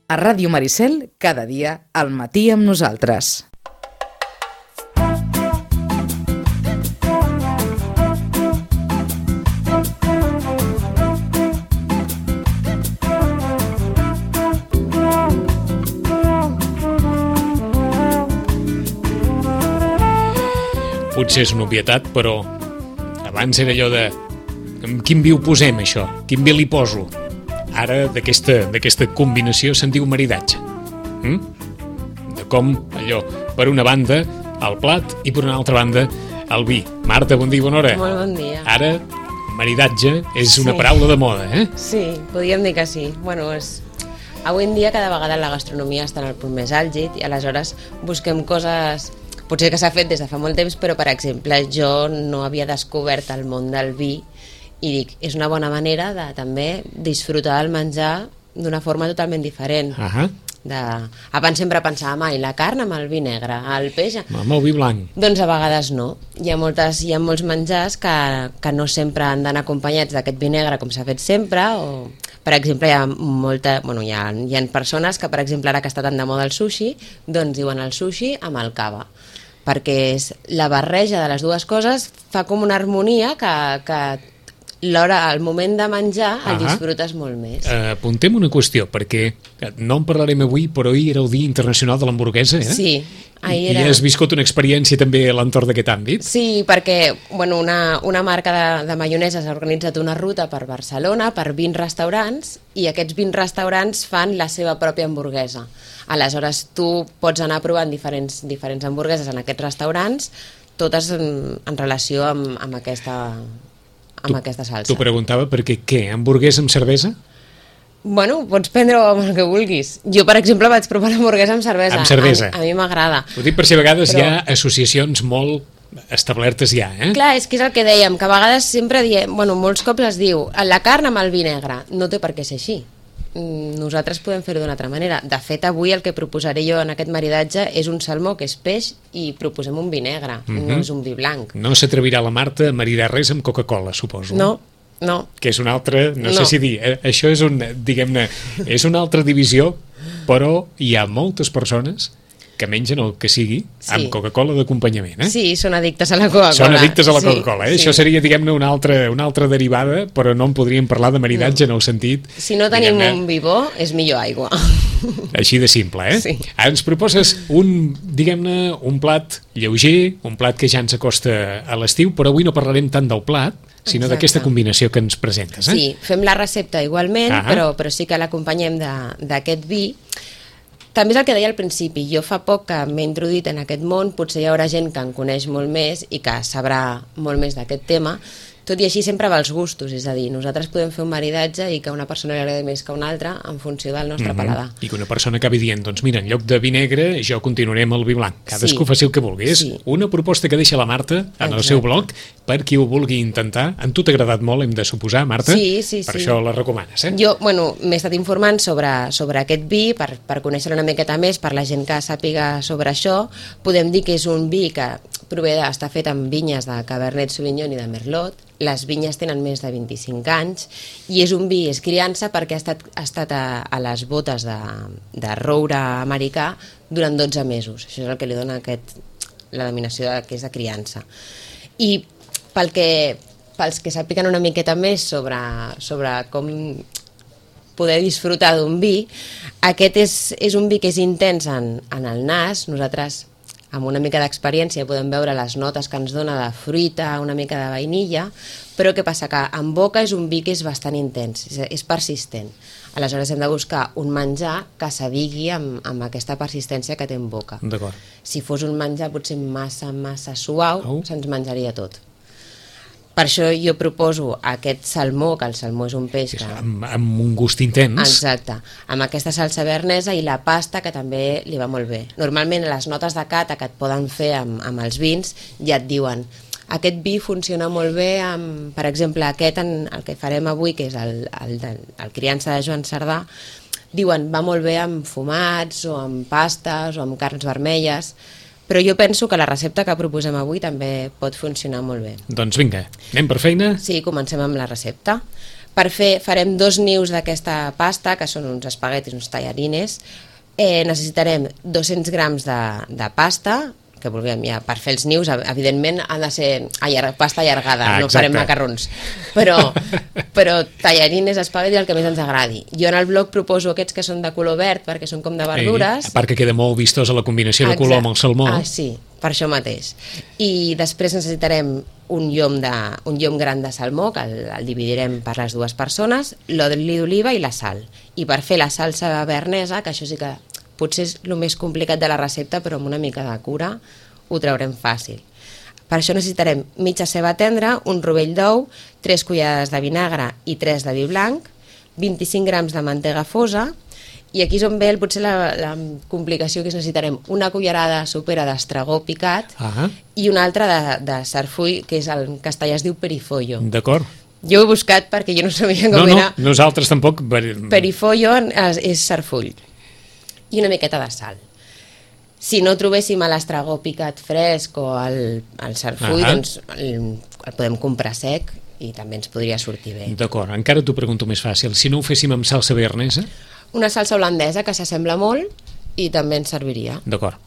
A Ràdio Maricel, cada dia al matí amb nosaltres. Potser és una obvietat, però abans era allò de amb quin vi ho posem, això? Quin vi li poso? Ara d'aquesta combinació se'n diu maridatge. De com allò, per una banda, el plat i per una altra banda, el vi. Marta, bon dia i bona hora. Molt bon dia. Ara, maridatge és una paraula de moda, eh? Sí, podríem dir que sí. Bueno, avui en dia cada vegada la gastronomia està en el punt més àlgid i aleshores busquem coses... Potser que s'ha fet des de fa molt temps, però, per exemple, jo no havia descobert el món del vi i dic, és una bona manera de també disfrutar del menjar d'una forma totalment diferent. Abans sempre pensàvem, la carn amb el vi negre, el peix... Amb el vi blanc. Doncs a vegades no. Hi ha molts menjars que no sempre han d'anar acompanyats d'aquest vi negre com s'ha fet sempre, o... Per exemple, hi ha persones que, per exemple, ara que està tan de moda el sushi, doncs diuen el sushi amb el cava, perquè és la barreja de les dues coses fa com una harmonia que al moment de menjar el disfrutes molt més. Apuntem una qüestió, perquè no en parlarem avui, però ahir era el Dia Internacional de l'Hamburguesa, eh? Sí, ahir era... I has viscut una experiència també a l'entorn d'aquest àmbit? Sí, perquè una marca de maioneses ha organitzat una ruta per Barcelona, per 20 restaurants, i aquests 20 restaurants fan la seva pròpia hamburguesa. Aleshores, tu pots anar provant diferents hamburgueses en aquests restaurants, totes en relació amb aquesta salsa. T'ho preguntava perquè què? Hamburguesa amb cervesa? Bueno, pots prendre-ho amb el que vulguis. Jo, per exemple, vaig provar l'hamburguesa amb cervesa. Amb cervesa. A mi m'agrada. Ho dic per si a vegades hi ha associacions molt establertes ja, eh? Clar, és que és el que dèiem, que a vegades sempre diem, molts cops es diu, la carn amb el vi negre. No té per què ser així. Nosaltres podem fer-ho d'una altra manera. De fet, avui el que proposaré jo en aquest maridatge és un salmó, que és peix, i proposem un vi negre, no és un vi blanc. No s'atrevirà la Marta a maridar res amb Coca-Cola, suposo. No. Que és una altra, no sé si dir, això és diguem-ne, és una altra divisió, però hi ha moltes persones que mengen el que sigui amb Coca-Cola d'acompanyament, eh? Sí, són addictes a la Coca-Cola. Són addictes a la Coca-Cola, eh? Sí. Això seria, diguem-ne, una altra derivada, però no en podríem parlar de maridatge en el sentit... Si no tenim un vi bo, és millor aigua. Així de simple, eh? Sí. Ens proposes diguem-ne, un plat lleuger, un plat que ja ens acosta a l'estiu, però avui no parlarem tant del plat, sinó d'aquesta combinació que ens presentes, eh? Sí, fem la recepta igualment, però sí que l'acompanyem d'aquest vi. També és el que deia al principi, jo fa poc que m'he introduït en aquest món, potser hi haurà gent que en coneix molt més i que sabrà molt més d'aquest tema, tot i així sempre va als gustos, és a dir, nosaltres podem fer un maridatge i que una persona li agradi més que una altra en funció del nostre paladar. I que una persona acabi dient, doncs mira, en lloc de vi negre jo continuaré amb el vi blanc. Cadascú faci el que vulgui. És una proposta que deixa la Marta en el seu blog per qui ho vulgui intentar. A tu t'ha agradat molt, hem de suposar, Marta? Sí. Per això la recomanes, eh? Jo, m'he estat informant sobre aquest vi per conèixer una miqueta més, per la gent que sàpiga sobre això. Podem dir que és un vi que està fet amb vinyes de Cabernet Sauvignon i de Merlot. Les vinyes tenen més de 25 anys i és un vi, és criança, perquè ha estat a les botes de roure americà durant 12 mesos. Això és el que li dona la denominació que és de criança. I pels que sàpiguen una miqueta més sobre com poder disfrutar d'un vi, aquest és un vi que és intens en el nas. Nosaltres, amb una mica d'experiència, podem veure les notes que ens dona de fruita, una mica de vainilla, però què passa? Que en boca és un vi que és bastant intens, és persistent. Aleshores hem de buscar un menjar que s'adigui amb aquesta persistència que té en boca. D'acord. Si fos un menjar potser massa suau, se'ns menjaria tot. Per això jo proposo aquest salmó, que el salmó és un peix que... Amb un gust intens. Exacte, amb aquesta salsa bernesa i la pasta, que també li va molt bé. Normalment les notes de cata que et poden fer amb els vins ja et diuen aquest vi funciona molt bé amb, per exemple, el que farem avui, que és el criança de Joan Cerdà, diuen va molt bé amb fumats o amb pastes o amb carns vermelles. Però jo penso que la recepta que proposem avui també pot funcionar molt bé. Doncs vinga, anem per feina? Sí, comencem amb la recepta. Farem 2 nius d'aquesta pasta, que són uns espaguetis, uns tallarines. Necessitarem 200 grams de pasta, que vulguem ja, per fer els nius, evidentment ha de ser pasta allargada, no farem macarrons, però tallarines, espaguetis, el que més ens agradi. Jo en el blog proposo aquests que són de color verd, perquè són com de verdures. A part que queda molt vistosa la combinació de color amb el salmó. Sí, per això mateix. I després necessitarem un llom gran de salmó, que el dividirem per les 2 persones, l'oli d'oliva i la sal. I per fer la salsa bearnesa, que això sí que potser és el més complicat de la recepta, però amb una mica de cura ho traurem fàcil. Per això necessitarem mitja ceba tendra, un rovell d'ou, 3 cullerades de vinagre i 3 de vi blanc, 25 grams de mantega fosa, i aquí és on ve potser la complicació, que necessitarem una cullerada sopera d'estragó picat i una altra de sarfull, que és en castellà es diu perifollo. D'acord. Jo ho he buscat perquè jo no sabia com era. No, nosaltres tampoc. Perifollo és sarfull. I una miqueta de sal. Si no trobéssim l'estragó picat fresc o el sarfull, doncs el podem comprar sec i també ens podria sortir bé. D'acord, encara t'ho pregunto més fàcil. Si no ho féssim amb salsa bearnesa? Una salsa holandesa que s'assembla molt i també ens serviria. D'acord.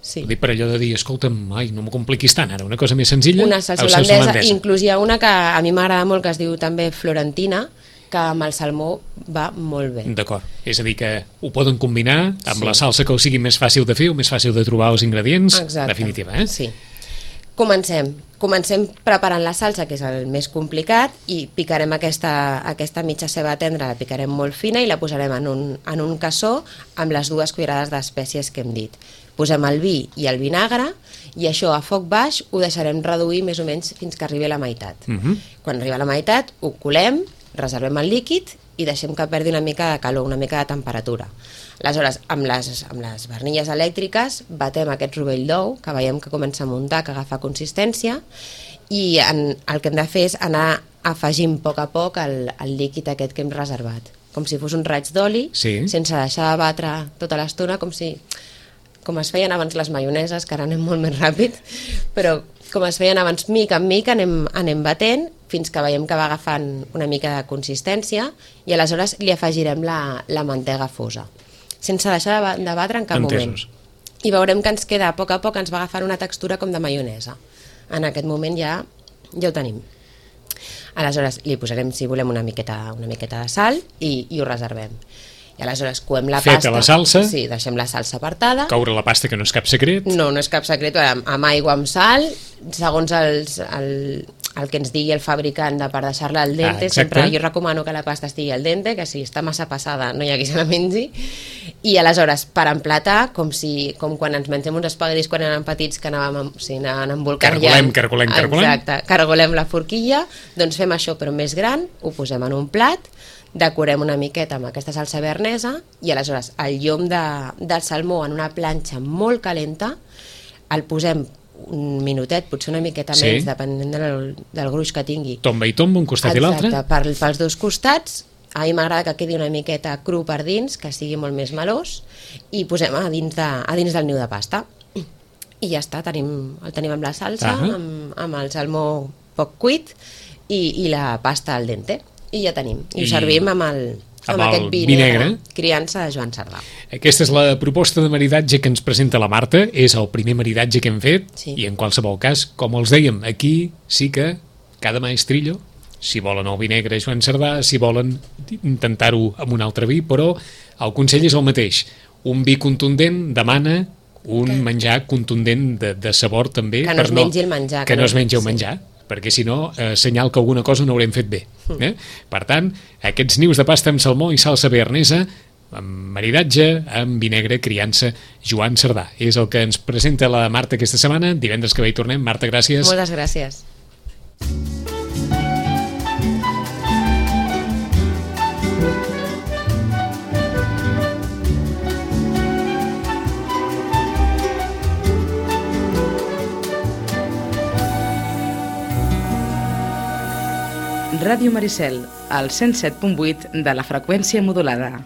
Sí. Ho dic per allò de dir, escolta'm, no m'ho compliquis tant ara, una cosa més senzilla. Una salsa holandesa. Inclús hi ha una que a mi m'agrada molt, que es diu també florentina, que amb el salmó va molt bé. D'acord, és a dir que ho poden combinar amb la salsa que ho sigui més fàcil de fer o més fàcil de trobar els ingredients. Exacte. Definitiva, Sí. Comencem preparant la salsa, que és el més complicat, i picarem aquesta mitja ceba tendra, la picarem molt fina i la posarem en un cassó amb les 2 cullerades d'espècies que hem dit. Posem el vi i el vinagre i això a foc baix ho deixarem reduir més o menys fins que arribi a la meitat. Quan arriba a la meitat ho colem, reservem el líquid i deixem que perdi una mica de calor, una mica de temperatura. Aleshores, amb les barnilles elèctriques batem aquest rovell d'ou, que veiem que comença a muntar, que agafa consistència, i el que hem de fer és anar afegint a poc el líquid aquest que hem reservat, com si fos un raig d'oli, sense deixar de batre tota l'estona, com es feien abans les maioneses, que ara anem molt més ràpid, però com es feien abans, mica en mica anem batent fins que veiem que va agafant una mica de consistència i aleshores li afegirem la mantega fosa, sense deixar de batre en cap moment. I veurem que ens queda a poc, ens va agafant una textura com de maionesa. En aquest moment ja ho tenim. Aleshores li posarem, si volem, una miqueta de sal i ho reservem. I aleshores coem la pasta. Feta la salsa. Sí, deixem la salsa apartada. Coure la pasta, que no és cap secret. No és cap secret, amb aigua, amb sal, segons el que ens digui el fabricant per deixar-la al dente. Sempre jo recomano que la pasta estigui al dente, que si està massa passada no hi ha qui se la mengi. I aleshores, per emplatar, com quan ens mengem uns espaguetis quan eren petits, que anàvem embolcarllant. Cargolem. Exacte, cargolem la forquilla, doncs fem això però més gran, ho posem en un plat, decorem una miqueta amb aquesta salsa bearnesa i aleshores el llom del salmó en una planxa molt calenta, el posem un minutet, potser una miqueta més, depenent del gruix que tingui. Tomba i tomba, un costat i l'altre. Exacte, pels 2 costats. A mi m'agrada que quedi una miqueta cru per dins, que sigui molt més melós, i posem a dins del niu de pasta. I ja està, el tenim amb la salsa, amb el salmó poc cuit i la pasta al dente. I ja tenim. I ho servim amb aquest vi negre, criança de Joan Cerdà. Aquesta és la proposta de maridatge que ens presenta la Marta. És el primer maridatge que hem fet i en qualsevol cas, com els dèiem, aquí sí que cada maestrillo, si volen el vi negre Joan Cerdà, si volen intentar-ho amb un altre vi, però el consell és el mateix. Un vi contundent demana un menjar contundent de sabor també. Que no es mengi el menjar. Que no es mengi el menjar, perquè si no, senyal que alguna cosa no haurem fet bé. Per tant, aquests nius de pasta amb salmó i salsa bearnesa, amb maridatge, amb vi negre, criança Joan Cerdà. És el que ens presenta la Marta aquesta setmana. Divendres que ve hi tornem. Marta, gràcies. Moltes gràcies. Ràdio Maricel, al 107.8 de la freqüència modulada.